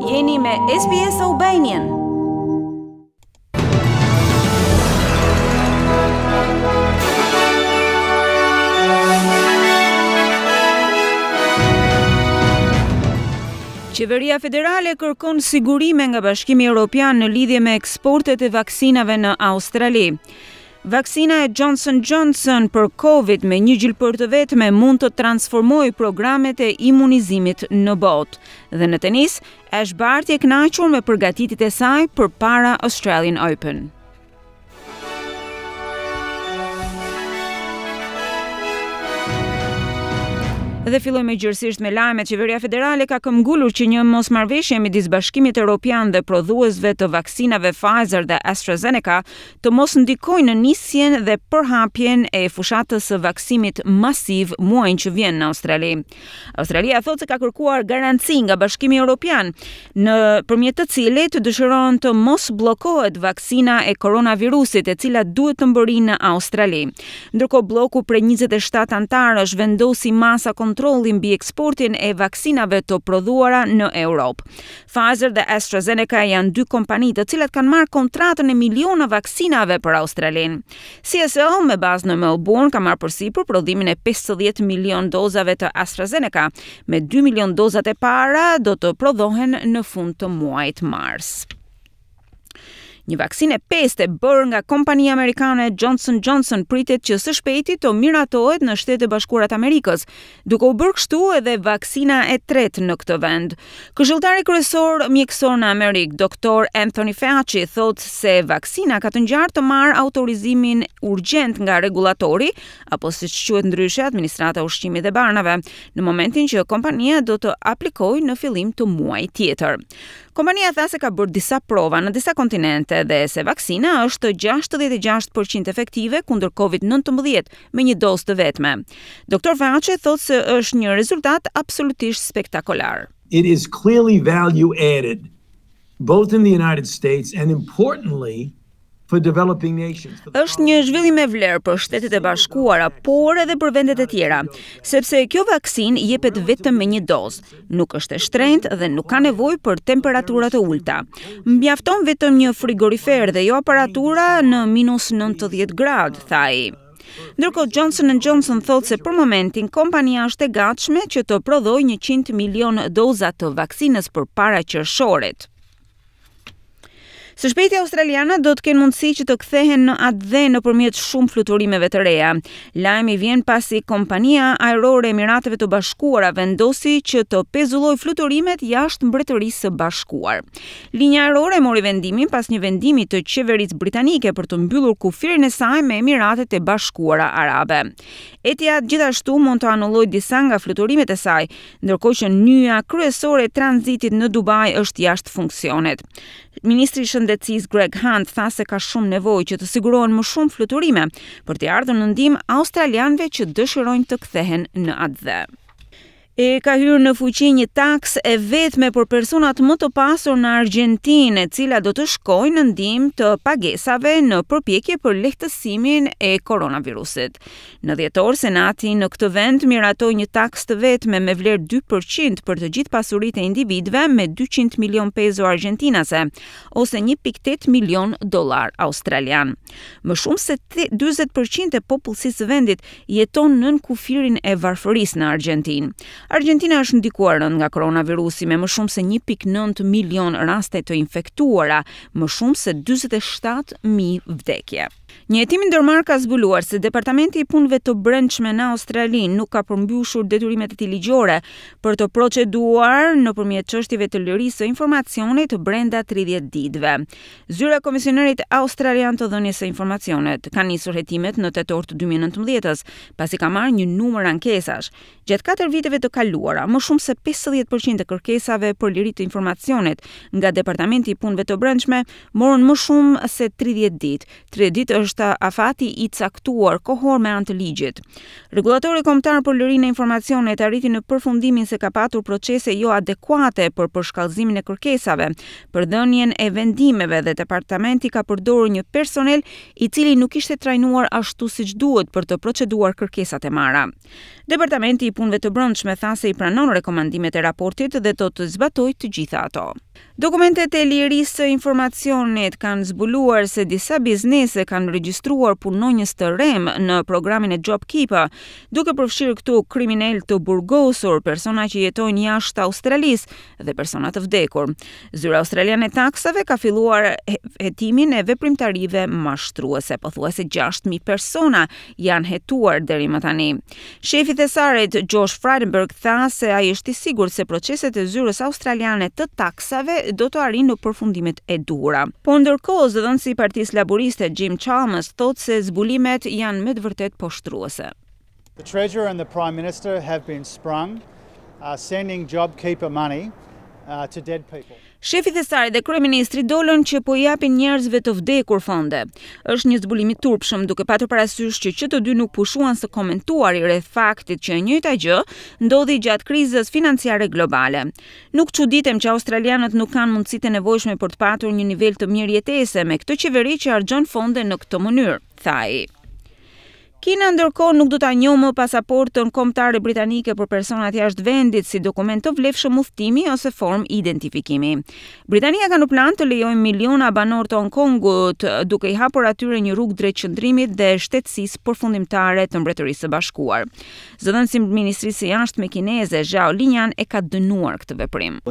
Jeni me SBS Albanian. Qeveria federale kërkon sigurime nga Bashkimi Europian në lidhje me eksportet e vaksinave në Australi. Vaksina e Johnson Johnson për Covid me një gjilpërë të vetme mund të transformojë programet e imunizimit në botë. Dhe në tenis, Ash Barty e kënaqur me përgatitjet e saj përpara Australian Open. Dhe fillojmë gjerësisht me lajmet. Qeveria federale ka këmbgulur që një mosmarrëveshje midis Bashkimit Europian dhe prodhuesve të vaksinave Pfizer dhe AstraZeneca të mos ndikojë në nisjen dhe përhapjen e fushatës së vaksimit masiv muajin që vjen në Australi. Australia thotë se ka kërkuar garanci nga Bashkimi Europian, nëpërmjet të cilit dëshiron të mos bllokohet vaksina e koronavirusit, e cila duhet të mbërrijë në Australi. Ndërkohë blloku prej 27 anëtarësh vendosi masa kontrolli mbi eksportin e vaksinave të prodhuara në Europë. Pfizer dhe AstraZeneca janë dy kompani të cilat kanë marrë kontratën e miliona vaksinave për Australinë. CSL me bazë në Melbourne ka marrë përsipër prodhimin e 50 milion dozave të AstraZeneca, me 2 milion dozat e para do të prodhohen në fund të muajit mars. Një vaksinë e pestë e bërë nga kompania amerikane Johnson Johnson pritet që së shpejti të miratohet në Shtetet e Bashkuara të Amerikës, duke u bërë kështu edhe vaksina e tretë në këtë vend. Këshilltari kryesor mjekësor në Amerikë, Dr. Anthony Fauci, thotë se vaksina ka të ngjarë të marrë autorizimin urgjent nga rregullatori, apo siç quhet ndryshe Administrata e Ushqimit dhe Barnave, në momentin që kompania do të aplikojë në fillim të muajit tjetër. Kompania tha se ka bërë disa prova në disa kontinente dhe se vaksina është 66% efektive kundër COVID-19 me një dozë të vetme. Dr. Fauci thotë se është një rezultat absolutisht spektakolar. It is clearly value added both in the United States and importantly for developing nations. Është një zhvillim me vlerë për Shtetet e Bashkuara, por edhe për vendet e tjera, sepse kjo vaksinë jepet vetëm me një dozë, nuk është e shtrenjtë dhe nuk ka nevojë për temperatura të ulëta. Mjafton vetëm një frigorifer dhe jo aparatura në minus 90 gradë, tha ai. Ndërkohë Johnson Johnson thotë se për momentin kompania është e gatshme që të prodhojë 100 milion doza të vaksinës përpara qershorit. Së shpejti australianët do të kenë mundësi që të kthehen në atdhe nëpërmjet shumë fluturimeve të reja. Lajmi vjen pasi kompania ajrore e Emirateve të Bashkuara vendosi që të pezullojë fluturimet jashtë Mbretërisë së Bashkuar. Linja ajrore mori vendimin pas një vendimi të qeverisë britanike për të mbyllur kufirin e saj me Emiratet e Bashkuara Arabe. Etihad gjithashtu mund të anullojë disa nga fluturimet e saj, ndërkohë që nyja kryesore e tranzitit në Dubai është jashtë funksionit. Ministri i Shëndetësisë Greg Hunt tha se ka shumë nevojë që të sigurohen më shumë fluturime për t'i ardhur në ndihmë australianëve që dëshirojnë të kthehen në atdhe. E ka hyrë në fuqi një taksë e vetme për personat më të pasur në Argjentinë, e cila do të shkojë në ndihmë të pagesave në përpjekje për lehtësimin e koronavirusit. Në dhjetor, Senati në këtë vend miratoi një taksë të vetme me vlerë 2% për të gjithë pasuritë e individëve me 200 milion peso argjentinase, ose 1.8 milion dollar australian. Më shumë se 40% e popullsisë së vendit jeton nën kufirin e varfërisë në Argjentinë. Argjentina është ndikuar rëndë nga koronavirusi me më shumë se 1.9 milion raste të infektuara, më shumë se 47.000 vdekje. Një hetim i ndërmarrë ka zbuluar se Departamenti i Punëve të Brendshme në Australi nuk ka përmbushur detyrimet e tij ligjore për të proceduar nëpërmjet çështjeve të lirisë së informacionit brenda 30 ditëve. Zyra e Komisionerit Australian të Dhënies së Informacionit ka nisur hetimet në tetor të 2019-s, pasi ka marrë një numër ankesash. Gjatë katër viteve të kaluara, më shumë se 50% e kërkesave për liri të informacionit nga Departamenti i Punëve të Brendshme morën më shumë se 30 ditë. 30 ditë është afati i caktuar kohor me anë të ligjit. Rregullatori kombëtar për lirinë e informacionit arriti në përfundimin se ka patur procese jo adekuate për përshkallëzimin e kërkesave, për dhënien e vendimeve dhe departamenti ka përdorur një personel i cili nuk ishte trajnuar ashtu siç duhet për të proceduar kërkesat e marra. Departamenti i Punëve të Brendshme tha se i pranon rekomandimet e raportit dhe do të zbatojë të gjitha ato. Dokumentet e lirisë së informacionit kanë zbuluar se disa biznese kanë regjistruar punonjës të rremë në programin e JobKeeper, duke përfshirë këtu kriminelë të burgosur, persona që jetojnë jashtë Australisë dhe persona të vdekur. Zyra Australiane e Taksave ka filluar hetimin e veprimtarive mashtruese. Pothuajse 6000 persona janë hetuar deri më tani. Shefi i thesarit Josh Frydenberg tha se ai është i sigurt se proceset e zyrës australiane të taksave do të arrijnë në përfundimet e duhura. Po ndërkohë, zëdhënësi i Partisë Laburiste Jim Chalmers thotë se zbulimet janë me të vërtetë poshtruese. The Treasurer and the Prime Minister have been sprung uh, sending JobKeeper money uh, to dead people. Shefi i Thesarit dhe kryeministri dolën që po i japin njerëzve të vdekur fonde. Është një zbulim i turpshëm, duke patur parasysh që që të dy nuk pushuan së komentuari rreth faktit që e njëjta gjë ndodhi gjatë krizës financiare globale. Nuk çuditem që australianët nuk kanë mundësitë e nevojshme për të patur një nivel të mirë jetese me këtë qeveri që harxhon fonde në këtë mënyrë, tha ai. Kina ndërkohë nuk do ta njohë më pasaportën kombëtare britanike për personat jashtë vendit si dokument të vlefshëm udhëtimi ose formë identifikimi. Britania ka në plan të lejojë miliona banorë të Hong Kongut, duke i hapur atyre një rrugë drejt qëndrimit dhe shtetësisë përfundimtare të Mbretërisë së Bashkuar. Zëdhënësi i Ministrisë së Jashtme kineze, Zhao Lijian, e ka dënuar këtë veprim.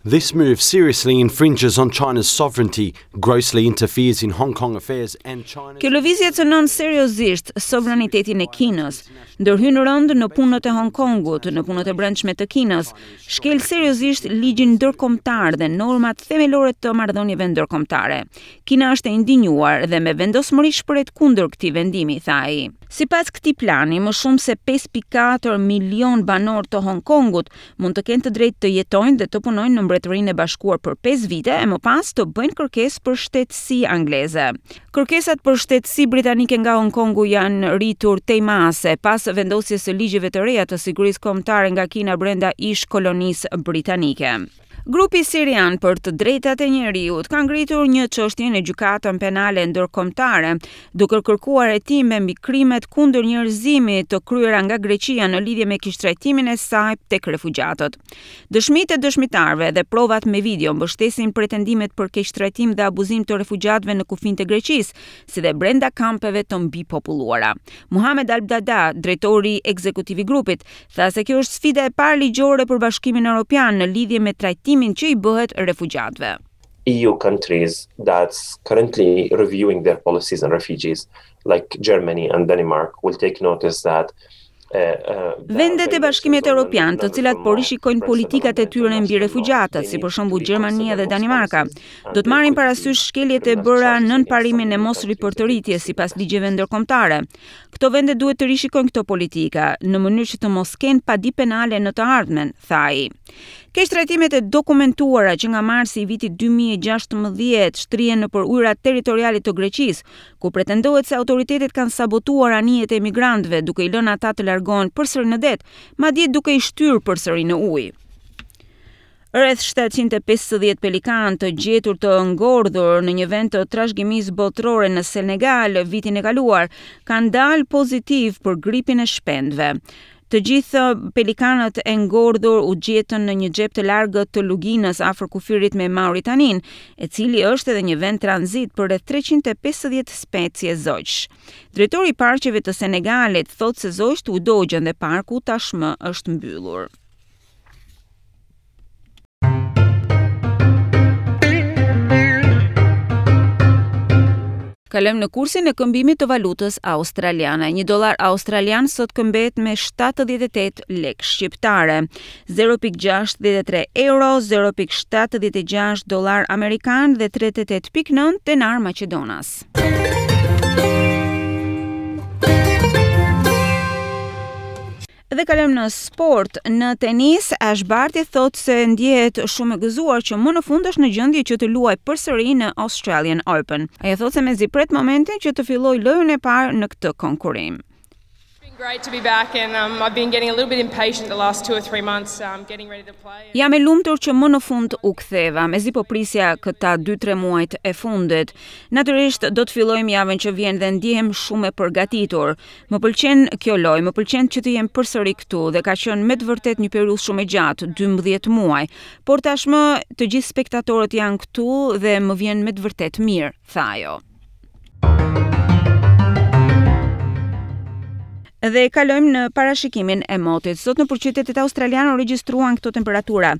This move seriously infringes on China's sovereignty, grossly interferes in Hong Kong affairs and China's Kjo lëvizje cënon seriozisht sovranitetin e Kinës, ndërhyn rëndë në punët e Hong Kongut, në punët e brendshme të Kinës, shkel seriozisht ligjin ndërkombëtar dhe normat themelore të marrëdhënieve ndërkombëtare. Kina është e indinjuar dhe me vendosmëri shprehet kundër këtij vendimi, tha ai. Sipas këtij plani, më shumë se 5.4 milion banorë të Hong Kongut mund të kenë të drejtë të jetojnë dhe të punojnë në Mbretërinë e Bashkuar për 5 vite e më pas të bëjnë kërkesë për shtetësi angleze. Kërkesat për shtetësi britanike nga Hong Kongu janë rritur tej mase pas vendosjes së ligjeve të reja të sigurisë kombëtare nga Kina brenda ish kolonisë britanike. Grupi sirian për të drejtat e njeriut ka ngritur një çështje në gjykatën penale ndërkombëtare, duke kërkuar hetime mbi krimet kundër njerëzimit të kryera nga Greqia në lidhje me keqtrajtimin e saj tek refugjatët. Dëshmitë e dëshmitarëve dhe provat me video mbështesin pretendimet për keqtrajtim dhe abuzim të refugjatëve në kufinjtë e Greqisë, si dhe brenda kampeve të mbipopulluara. Muhamed Al-Dada, drejtori ekzekutiv i grupit, tha se kjo është sfida e parë ligjore për Bashkimin Evropian në lidhje me trajtimin që i bëhet refugjatëve. EU countries that's currently reviewing their policies on refugees, like Germany and Denmark, will take notice that Vendet e Bashkimit Evropian, të cilat po rishikojnë politikat e tyre mbi refugjatët, si për shembull Gjermania dhe Danimarka, do të marrin parasysh shkeljet e bëra nën parimin e mos ripërtëritjes sipas ligjeve ndërkombëtare. Këto vende duhet të rishikojnë këto politika, në mënyrë që të mos kenë padi penale në të ardhmen, tha ai. Keqtrajtimet e dokumentuara që nga marsi i vitit 2016 shtrihen nëpër ujërat territoriale të Greqisë, ku pretendohet se autoritetet kanë sabotuar anijet e emigrantëve, duke i lënë ata të largohen përsëri në det, madje duke i shtyrë përsëri në ujë. Rreth 750 pelikanë të gjetur të ngordhur në një vend të trashëgimisë botërore në Senegal vitin e kaluar kanë dalë pozitiv për gripin e shpendëve. Të gjithë pelikanët e ngordhur u gjetën në një xhep të largët të luginës afër kufirit me Mauritaninë, e cili është edhe një vend tranzit për rreth 350 specie zogjsh. Drejtori i parqeve të Senegalit thotë se zogjtë u dogjën dhe parku tashmë është mbyllur. Kalojmë në kursin e këmbimit të valutës australiane. Një dollar australian sot këmbehet me 78 lekë shqiptare, 0.63 euro, 0.76 dollar amerikan dhe 38.9 denar maqedonas. Dhe kalojmë në sport. Në tenis, Ash Barty thotë se ndjehet shumë e gëzuar që më në fund është në gjendje që të luajë përsëri në Australian Open. Ajo thotë se mezi pret momentin që të fillojë lojën e parë në këtë konkurrim. Great to be back and um, I've been getting a little bit impatient the last two or three months um, getting ready to play. Jam e lumtur që më në fund u ktheva. Mezi po prisja këta 2-3 muajt e fundit. Natyrisht do të fillojmë javën që vjen dhe ndjehem shumë e përgatitur. Më pëlqen kjo lojë, më pëlqen që të jem përsëri këtu dhe ka qenë me të vërtetë një periudhë shumë e gjatë, 12 muaj. Por tashmë të gjithë spektatorët janë këtu dhe më vjen me të vërtetë mirë, tha ajo. Dhe kalojmë në parashikimin e motit. Sot nëpër qytetet australiane u regjistruan këto temperatura.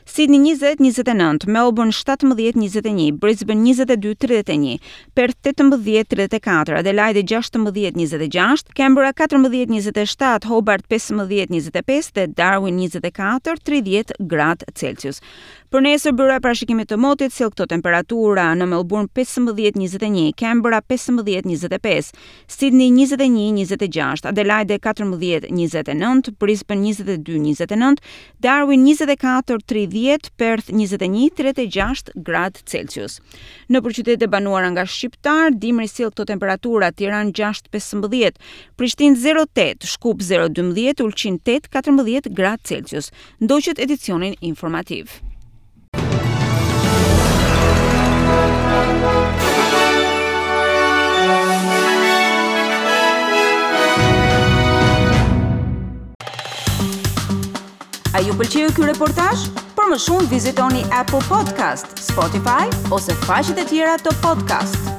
Sydney 20 29, Melbourne 17 21, Brisbane 22 31, Perth 18 34, Adelaide 16 26, Canberra 14 27, Hobart 15 25 dhe Darwin 24 30 gradë Celsius. Për nesër byroja e parashikimit të motit sjell këto temperatura në Melbourne 15 21, Canberra 15 25, Sydney 21 26, Adelaide 14 29, Brisbane 22 29, Darwin 24 30, Perth 21 36 gradë Celsius. Nëpër qytetet e banuara nga shqiptarë, dimri sjell këto temperatura Tiranë 6 15, Prishtinë 08, Shkup 0 12, Ulqin 8 14 gradë Celsius. Ndoqët edicionin informativ. A ju pëlqeu ky reportazh? Për më shumë vizitoni Apple Podcast, Spotify ose faqet e tjera të podcast.